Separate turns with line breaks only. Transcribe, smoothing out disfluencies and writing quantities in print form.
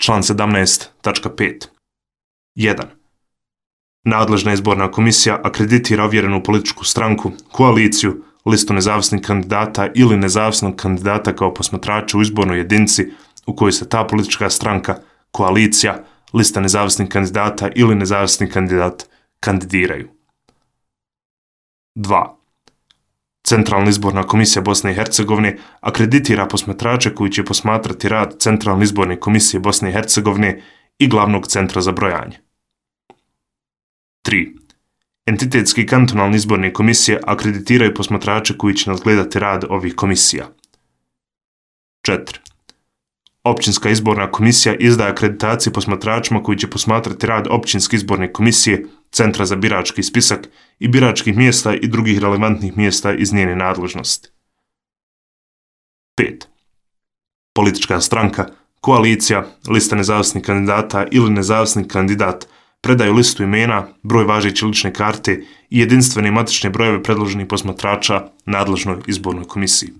Član 17.5. 1. Nadležna izborna komisija akreditira ovjerenu političku stranku, koaliciju, listu nezavisnih kandidata ili nezavisnog kandidata kao posmatrača u izbornoj jedinici u kojoj se ta politička stranka, koalicija, lista nezavisnih kandidata ili nezavisni kandidat kandidiraju. 2. Centralna izborna komisija Bosne i Hercegovine akreditira posmatrače koji će posmatrati rad Centralne izborne komisije Bosne i Hercegovine i glavnog centra za brojanje. 3. Entitetski kantonalne izborne komisije akreditiraju posmatrače koji će nadgledati rad ovih komisija. 4. Općinska izborna komisija izdaje akreditacije posmatračima koji će posmatrati rad Općinske izborne komisije, Centra za birački spisak i biračkih mjesta i drugih relevantnih mjesta iz njene nadležnosti. 5. Politička stranka, koalicija, lista nezavisnih kandidata ili nezavisni kandidat predaju listu imena, broj važeće lične karte i jedinstvene matične brojeve predloženih posmatrača nadležnoj izbornoj komisiji.